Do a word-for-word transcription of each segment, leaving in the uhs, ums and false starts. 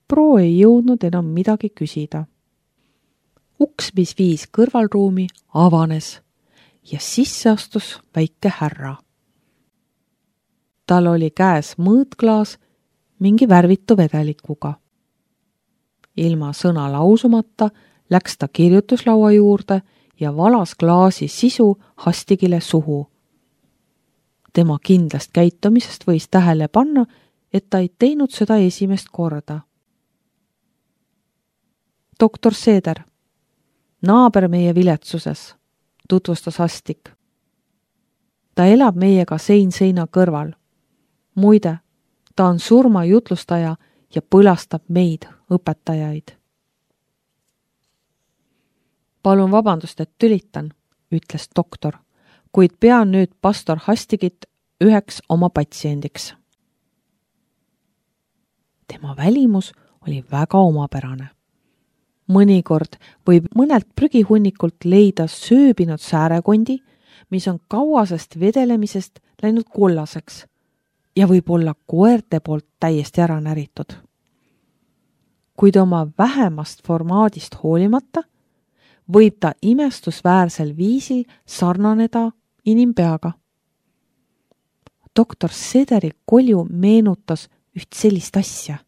Pro ei jõudnud enam midagi küsida. Uks, mis viis kõrvalruumi, avanes ja sisse astus väike härra. Tal oli käes mõõtklaas mingi värvitu vedelikuga. Ilma sõna lausumata läks ta kirjutuslaua juurde ja valas klaasi sisu Hastigile suhu. Tema kindlast käitumisest võis tähele panna, et ta ei teinud seda esimest korda. Doktor Seeder, naaber meie viletsuses, tutvustas Hastik. Ta elab meiega sein seina kõrval. Muide, ta on surmajutlustaja ja põlastab meid, õpetajaid. Palun vabandust, et tülitan, ütles doktor, kuid pean nüüd pastor Hastigit üheks oma patsiendiks. Tema välimus oli väga omapärane. Mõnikord võib mõnelt prügihunnikult leida sööbinud säärekondi, mis on kauasest vedelemisest läinud kollaseks ja võib olla koerte poolt täiesti ära näritud. Kuid oma vähemast formaadist hoolimata võib ta imestusväärsel viisil sarnaneda inimpeaga. Doktor Sederi kolju meenutas üht sellist asja.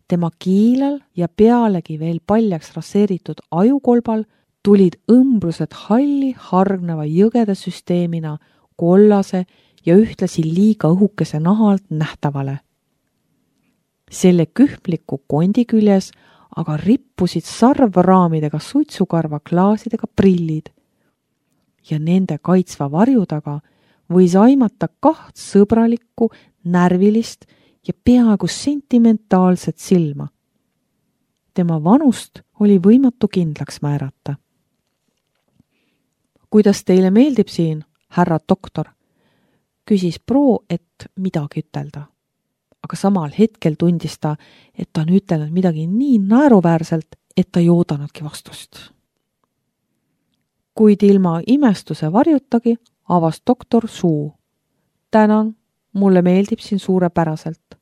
Tema kiilal ja pealegi veel paljaks raseeritud ajukolbal tulid õmbrused halli hargneva jõgede süsteemina kollase ja ühtlasi liiga õhukese nahalt nähtavale. Selle kühmliku kondi küljes aga rippusid sarvraamidega suitsukarva klaasidega prillid ja nende kaitsva varju taga võis aimata kaht sõbralikku, närvilist ja peaaegu sentimentaalset silma. Tema vanust oli võimatu kindlaks määrata. Kuidas teile meeldib siin, härra doktor? Küsis Pro, et midagi ütelda. Aga samal hetkel tundis ta, et ta on ütelnud midagi nii naeruväärselt, et ta ei oodanudki vastust. Kuid ilma imestuse varjutagi avas doktor suu. Tänan, mulle meeldib siin suurepäraselt.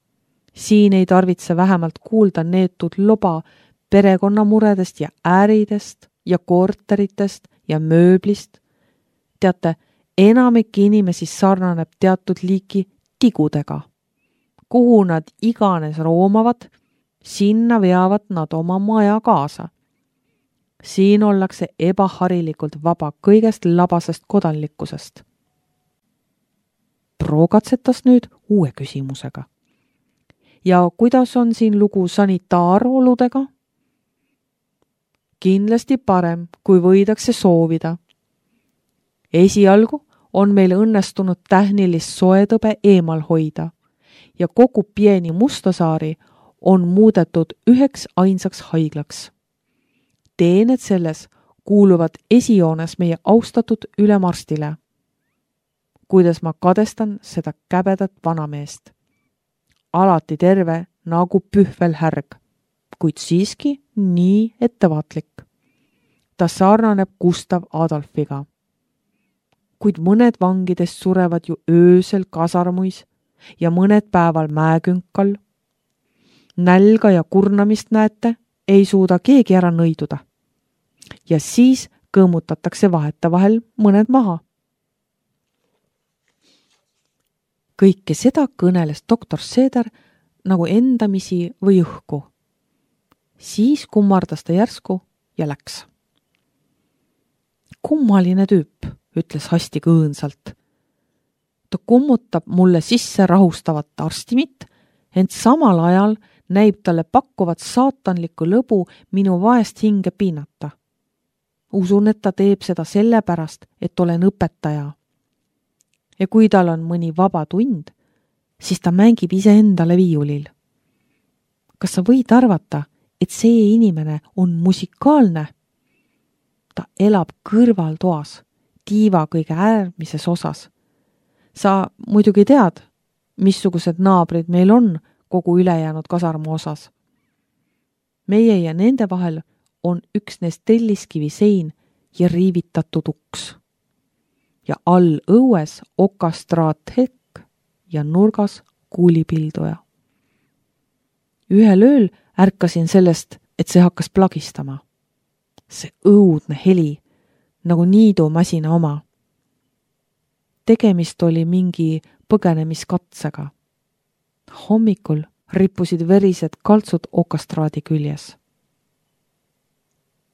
Siin ei tarvitse vähemalt kuulda neetud loba perekonnamuredest ja ääridest ja korteritest ja mööblist. Teate, enamik inimesi sarnaneb teatud liiki tigudega. Kuhu nad iganes roomavad, sinna veavad nad oma maja kaasa. Siin ollakse ebaharilikult vaba kõigest labasest kodanlikkusest. Pro katsetas nüüd uue küsimusega. Ja kuidas on siin lugu sanitaaroludega? Kindlasti parem, kui võidakse soovida. Esialgu on meil õnnestunud tähnilist soetõbe eemal hoida ja kogu pieni Mustasaari on muudetud üheks ainsaks haiglaks. Teened selles kuuluvad esijoones meie austatud ülemarstile. Kuidas ma kadestan seda käbedat vanameest. Alati terve nagu pühvel härg, kuid siiski nii ettevaatlik. Ta sarnaneb Gustav Adolfiga. Kuid mõned vangidest surevad ju öösel kasarmuis ja mõned päeval mäekünkal. Nälga ja kurnamist näete, ei suuda keegi ära nõiduda. Ja siis kõõmutatakse vaheta vahel mõned maha. Kõike seda kõneles doktor Seeder nagu endamisi või õhku. Siis kummardas ta järsku ja läks. Kummaline tüüp, ütles Hastig õõnsalt. Ta kummutab mulle sisse rahustavat arstimit, ent samal ajal näib talle pakkuvat saatanlikku lõbu minu vaest hinge piinata. Usun, et ta teeb seda sellepärast, et olen õpetaja. Ja kui tal on mõni vaba tund, siis ta mängib iseendale viiulil. Kas sa võid arvata, et see inimene on musikaalne? Ta elab kõrvaltoas, tiiva kõige äärmises osas. Sa muidugi tead, missugused naabrid meil on kogu ülejäänud kasarmu osas. Meie ja nende vahel on üksnes telliskivi sein ja riivitatud uks. Ja all õues okastraat hekk ja nurgas kuulipilduja. Ühel ööl ärkasin sellest, et see hakkas plagistama. See õudne heli, nagu niidumasina oma. Tegemist oli mingi põgenemiskatsega. Hommikul rippusid verised kaltsud okastraadi küljes.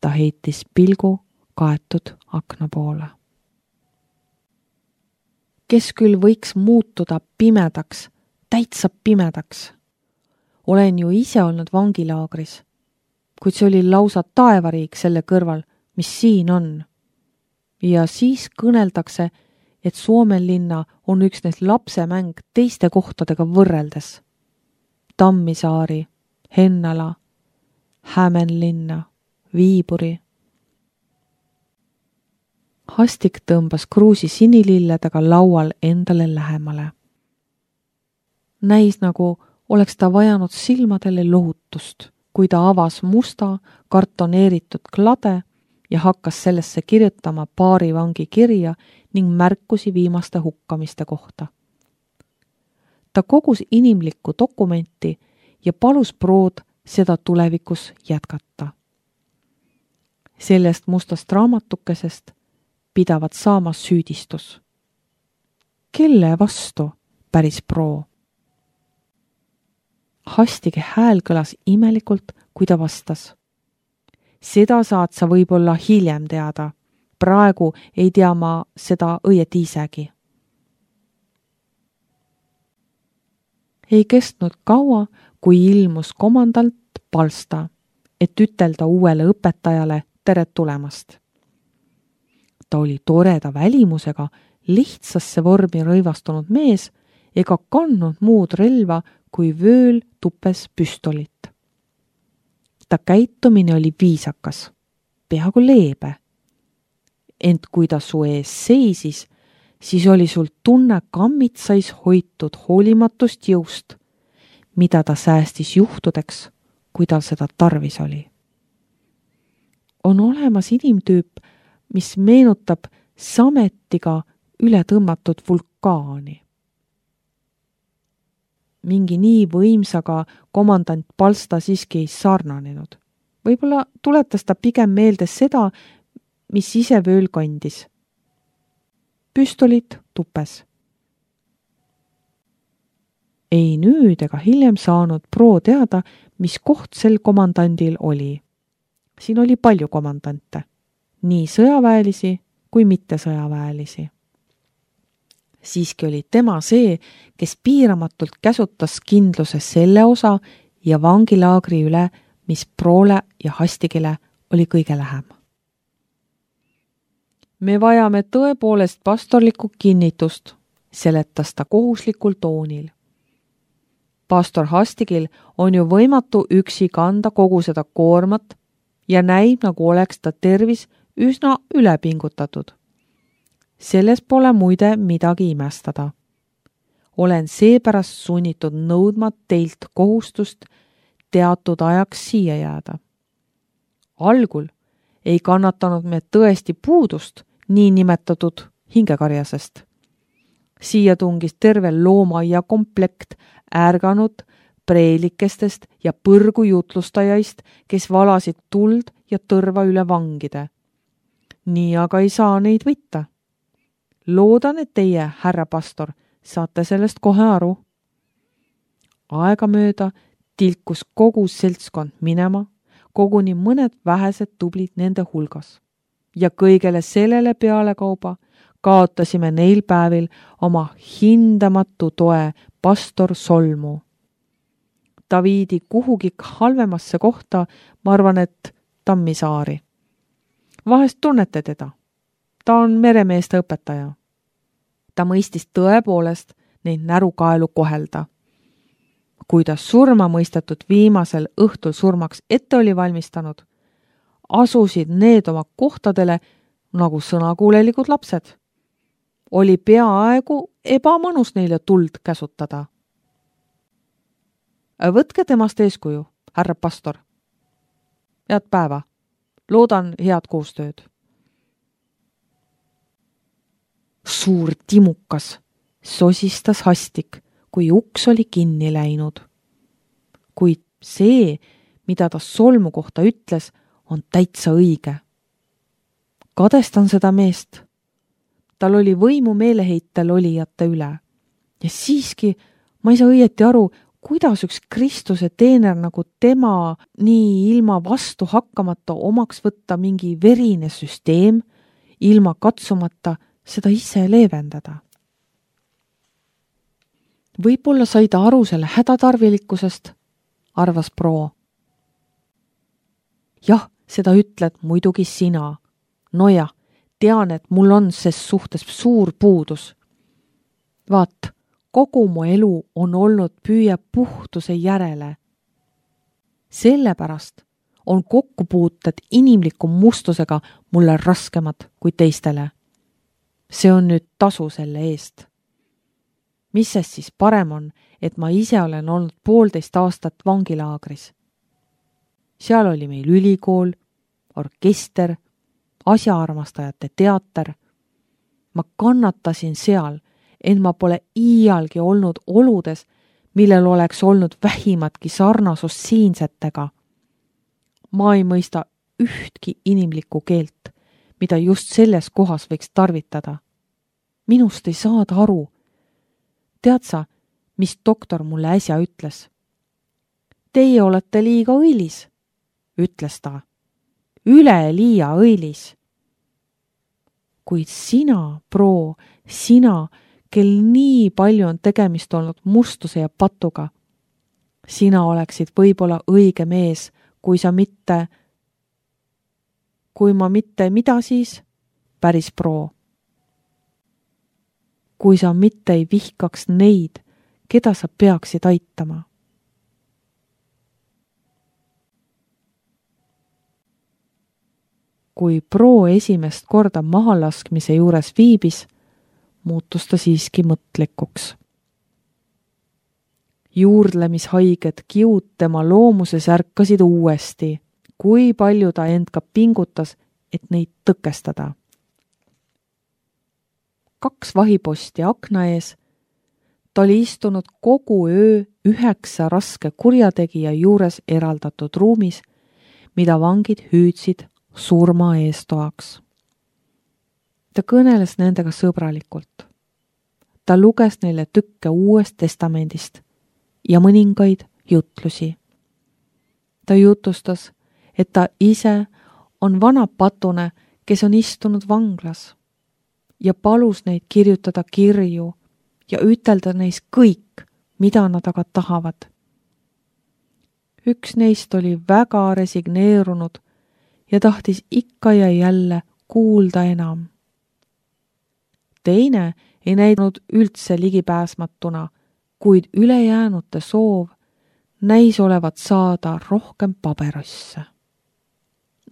Ta heitis pilgu kaetud akna poole. Kes küll võiks muutuda pimedaks, täitsa pimedaks? Olen ju ise olnud vangilaagris, kuid see oli lausa taevariik selle kõrval, mis siin on. Ja siis kõneldakse, et Suomenlinna on üksnes lapsemäng teiste kohtadega võrreldes. Tammisaari, Hennala, Hämenlinna, Viiburi. Hastik tõmbas kruusi sinililledega laual endale lähemale. Näis nagu oleks ta vajanud silmadele lohutust, kui ta avas musta kartoneeritud klade ja hakkas sellesse kirjutama paari vangi kirja ning märkusi viimaste hukkamiste kohta. Ta kogus inimlikku dokumenti ja palus Prood seda tulevikus jätkata. Sellest mustast raamatukesest pidavat saama süüdistus. Kelle vastu, päris Pro? Hastige hääl kõlas imelikult, kui ta vastas. Seda saad sa võib-olla hiljem teada. Praegu ei tea ma seda õieti isegi. Ei kestnud kaua, kui ilmus komandant Palsta, et ütelda uuele õpetajale tere tulemast. Ta oli toreda välimusega, lihtsasse vormi rõivastunud mees ega kandnud muud relva kui vööl tupes püstolit. Ta käitumine oli viisakas, peaaegu leebe. Ent kui ta su ees seisis, siis oli sul tunne kammitsais hoitud hoolimatust jõust, mida ta säästis juhtudeks, kui tal seda tarvis oli. On olemas inimtüüp, mis meenutab sametiga üle tõmmatud vulkaani. Mingi nii võimsaga komandant Palsta siiski ei sarnanenud. Võib-olla tuletas ta pigem meelde seda, mis ise vööl kandis. Püstolit tupes. Ei nüüd ega hiljem saanud Pro teada, mis koht sel komandandil oli. Siin oli palju komandante, nii sõjaväelisi kui mitte sõjaväelisi. Siiski oli tema see, kes piiramatult käsutas kindluse selle osa ja vangilaagri üle, mis Proole ja Hastigile oli kõige lähem. Me vajame tõepoolest pastorlikku kinnitust, seletas ta kohuslikul toonil. Pastor Hastigil on ju võimatu üksi kanda kogu seda koormat ja näib, nagu oleks ta tervis üsna ülepingutatud. Selles pole muide midagi imestada. Olen seepärast sunnitud nõudma teilt kohustust teatud ajaks siia jääda. Algul ei kannatanud me tõesti puudust nii nimetatud hingekarjasest. Siia tungis terve loomaia komplekt ärganud preelikestest ja põrgujutlustajaist, kes valasid tuld ja tõrva üle vangide. Nii aga ei saa neid võtta. Loodan, et teie, härra pastor, saate sellest kohe aru. Aegamööda tilkus kogu seltskond minema, koguni mõned vähesed tublid nende hulgas. Ja kõigele sellele pealekauba kaotasime neil päevil oma hindamatu toe pastor Solmu. Ta viidi kuhugi halvemasse kohta, ma arvan, et Tammisaari. Vahest tunnete teda. Ta on meremeeste õpetaja. Ta mõistis tõepoolest neid närukaelu kohelda. Kui ta surma mõistetud viimasel õhtul surmaks ette oli valmistanud, asusid need oma kohtadele nagu sõnakuulelikud lapsed. Oli peaaegu ebamõnus neile tuld käsutada. Võtke temast eeskuju, härra pastor. Head päeva. Loodan head koostööd. Suur timukas sosistas Hastik, kui uks oli kinni läinud. Kuid See, mida ta solmu kohta ütles, on täitsa õige. Kadestan seda meest. Tal oli võimu meeleheitel olijate üle. Ja siiski ma ei saa õieti aru, kuidas üks Kristuse teener nagu tema nii ilma vastu hakkamata omaks võtta mingi verine süsteem, ilma katsumata seda ise leevendada. Võib-olla sai ta aru selle hädatarvilikkusest, arvas Pro. Jah, seda ütled muidugi sina. Noja, tean, et mul on ses suhtes suur puudus. Vaat, kogu mu elu on olnud püüe puhtuse järele. Sellepärast on kokkupuuted inimliku mustusega mulle raskemad kui teistele. See on nüüd tasu selle eest. Mis sest siis parem on, et ma ise olen olnud poolteist aastat vangilaagris. Seal oli meil ülikool, orkester, asjaarmastajate teater. Ma kannatasin seal, et ma pole iialgi olnud oludes, millel oleks olnud vähimatki sarnasus siinsetega. Ma ei mõista ühtki inimlikku keelt, mida just selles kohas võiks tarvitada. Minust ei saada aru. Tead sa, mis doktor mulle äsja ütles? Teie olete liiga õilis, ütles ta. Üle liia õilis. Kuid sina, Pro, sina, kel nii palju on tegemist olnud mustuse ja patuga, sina oleksid võib-olla õige mees, kui sa mitte, kui ma mitte, mida siis? Päris Pro. Kui sa mitte ei vihkaks neid, keda sa peaksid aitama. Kui Pro esimest korda mahalaskmise juures viibis, muutus ta siiski mõtlikuks. Juurdlemishaiged kiud tema loomuses ärkasid uuesti, kui palju ta end ka pingutas, et neid tõkestada. Kaks vahiposti akna ees, ta oli istunud kogu öö üheksa raske kurjategija juures eraldatud ruumis, mida vangid hüüdsid surma eestoaks. Ta kõneles nendega sõbralikult. Ta luges neile tükke uuest testamendist ja mõningaid jutlusi. Ta jutustas, et ta ise on vana patune, kes on istunud vanglas ja palus neid kirjutada kirju ja ütelda neis kõik, mida nad aga tahavad. Üks neist oli väga resigneerunud ja tahtis ikka ja jälle kuulda enam. Teine ei näinud üldse ligipääsmatuna, kuid ülejäänute soov näis olevat saada rohkem paberosse.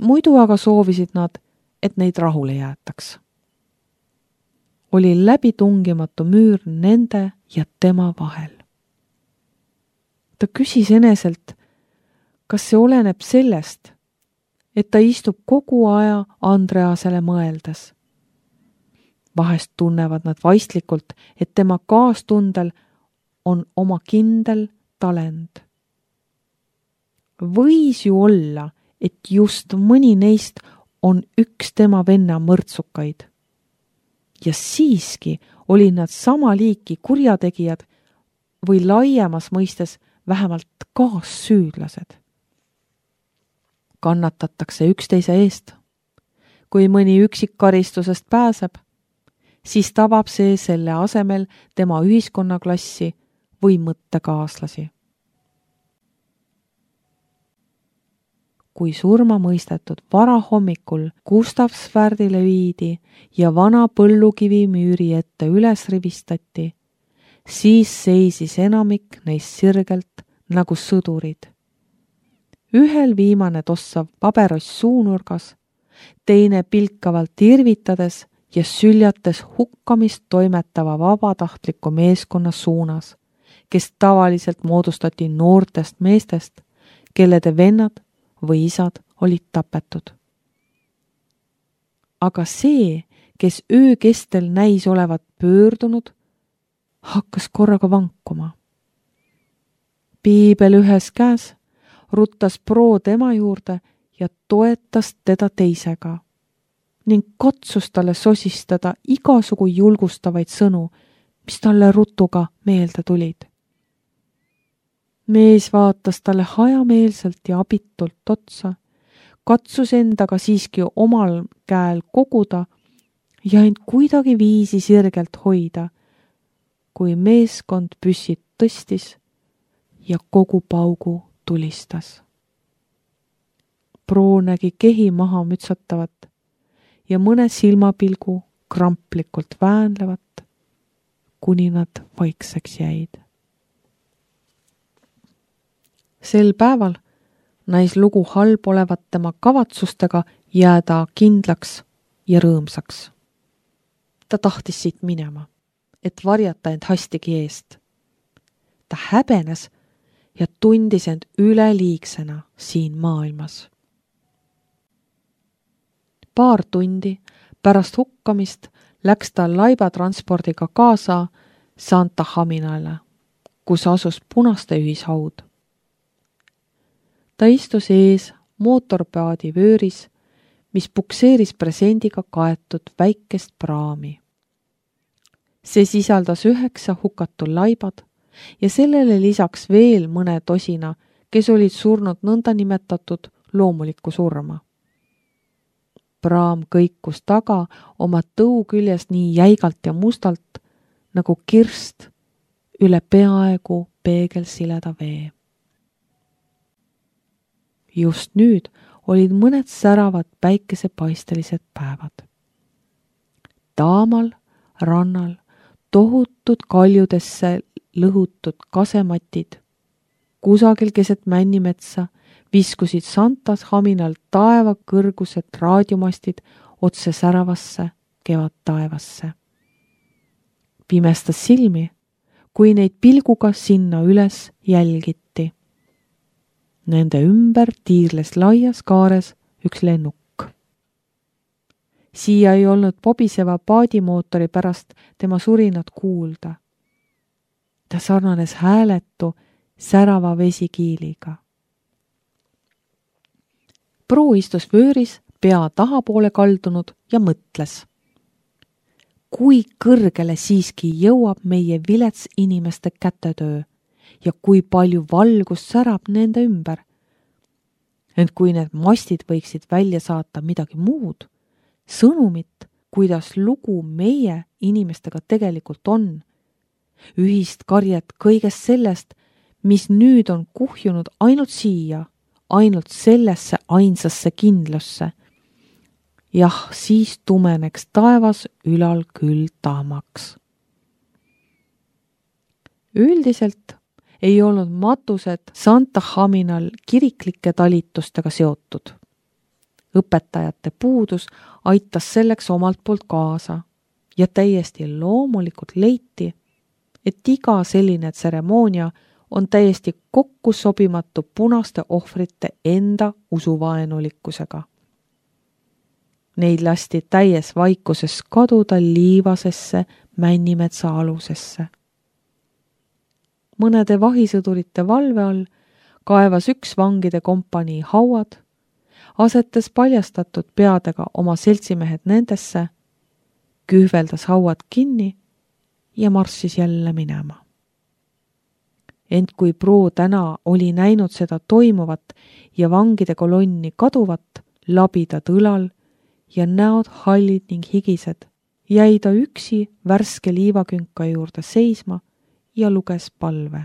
Muidu aga soovisid nad, et neid rahule jäetaks. Oli läbitungimatu müür nende ja tema vahel. Ta küsis eneselt, kas see oleneb sellest, et ta istub kogu aja Andreasele mõeldes. Vahest tunnevad nad vaistlikult, et tema kaastundel on oma kindel talent. Võis ju olla, et just mõni neist on üks tema venna mõrtsukaid. Ja siiski olid nad sama liiki kurjategijad või laiemas mõistes vähemalt kaassüüdlased. Kannatatakse üksteise eest. Kui mõni üksik karistusest pääseb, siis tabab see selle asemel tema ühiskonnaklassi või mõttekaaslasi. Kui surma mõistetud varahommikul Gustav Svärdile viidi ja vana põllukivi müüri ette üles rivistati, siis seisis enamik neist sirgelt nagu sõdurid. Ühel viimane tossav pabeross suunurgas, teine pilkavalt irvitades ja süljates hukkamist toimetava vabatahtliku meeskonna suunas, kes tavaliselt moodustati noortest meestest, kellede vennad või isad olid tapetud. Aga see, kes öö kestel näis olevat pöördunud, hakkas korraga vankuma. Piibel ühes käes, ruttas Pro tema juurde ja toetas teda teisega ning katsus talle sosistada igasugu julgustavaid sõnu, mis talle rutuga meelde tulid. Mees vaatas talle hajameelselt ja abitult otsa, katsus endaga siiski omal käel koguda ja end kuidagi viisi sirgelt hoida, kui meeskond püssid tõstis ja kogu paugu tulistas. Pro nägi kehi maha mütsatavat ja mõne silmapilgu kramplikult väänlevat, kuni nad vaikseks jäid. Sel päeval näis lugu halb olevat tema kavatsustega jääda kindlaks ja rõõmsaks. Ta tahtis siit minema, et varjata end hastigi eest. Ta häbenes ja tundis end üleliigsena siin maailmas. Paar tundi pärast hukkamist läks ta laibatranspordiga kaasa Santa Haminale, kus asus punaste ühishaud. Ta istus ees mootorpaadi vööris, mis pukseeris presendiga kaetud väikest praami. See sisaldas üheksa hukatul laibad ja sellele lisaks veel mõne tosina, kes olid surnud nõnda nimetatud loomulikku surma. Praam kõikus taga oma tõu küljes nii jäigalt ja mustalt, nagu kirst üle peaaegu peegelsileda vee. Just nüüd olid mõned säravad päikesepaistelised päevad. Taamal rannal tohutud kaljudesse lõhutud kasematid, kusagil keset männimetsa viskusid Santas Haminal taeva kõrgused raadiomastid otse säravasse kevad taevasse. Pimestas silmi, kui neid pilguga sinna üles jälgiti. Nende ümber tiirles laias kaares üks lennuk. Siia ei olnud pobiseva paadimootori pärast tema surinat kuulda. Ta sarnanes hääletu särava vesikiiliga. Pro istus vööris pea tahapoole kaldunud ja mõtles. Kui kõrgele siiski jõuab meie vilets inimeste kätetöö ja kui palju valgust särab nende ümber. Ent kui need mastid võiksid välja saata midagi muud, sõnumit, kuidas lugu meie inimestega tegelikult on, ühist karjet kõigest sellest, mis nüüd on kuhjunud ainult siia, ainult sellesse ainsasse kindlusse. Jah, siis tumeneks taevas ülal küll taamaks. Üldiselt ei olnud matused Santa Haminal kiriklike talitustega seotud. Õpetajate puudus aitas selleks omalt poolt kaasa ja täiesti loomulikult leiti, et iga selline tseremoonia on täiesti kokku sobimatu punaste ohvrite enda usuvaenulikkusega. Neid lasti täies vaikuses kaduda liivasesse männimetsa alusesse. Mõnede vahisõdurite valve all kaevas üks vangide kompanii hauad, asetas paljastatud peadega oma seltsimehed nendesse, kühveldas hauad kinni ja marssis jälle minema. Ent kui Pro täna oli näinud seda toimuvat ja vangide kolonni kaduvat, labidad õlal ja näod hallid ning higised, jäi ta üksi värske liivakünka juurde seisma ja luges palve.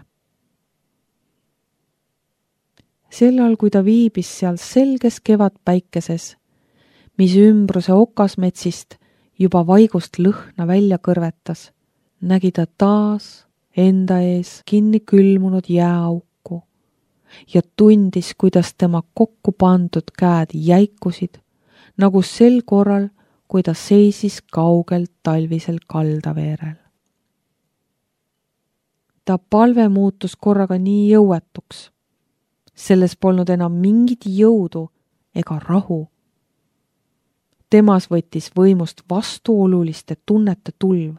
Sellal, kui ta viibis seal selges kevadpäikeses, mis ümbruse okasmetsist juba vaigust lõhna välja kõrvetas, nägi ta taas enda ees kinni külmunud jääauku ja tundis, kuidas tema kokku pandud käed jäikusid, nagu sel korral, kui ta seisis kaugel talvisel kaldaveerel. Ta palve muutus korraga nii jõuetuks. Selles polnud enam mingit jõudu ega rahu. Temas võttis võimust vastuoluliste tunnete tulv,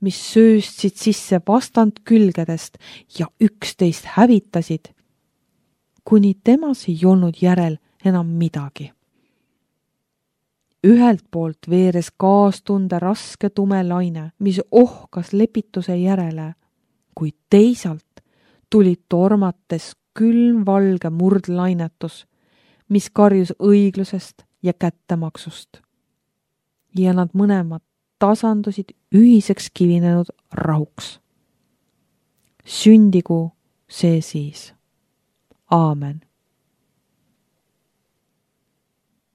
mis sööstsid sisse vastand külgedest ja üksteist hävitasid, kuni temas ei olnud järel enam midagi. Ühelt poolt veeres kaastunde raske tume laine, mis ohkas lepituse järele, kuid teisalt tuli tormates külm valge murdlainetus, mis karjus õiglusest ja kättemaksust. Ja nad mõlemad tasandusid ühiseks kivinenud rahuks. Sündigu see siis. Aamen.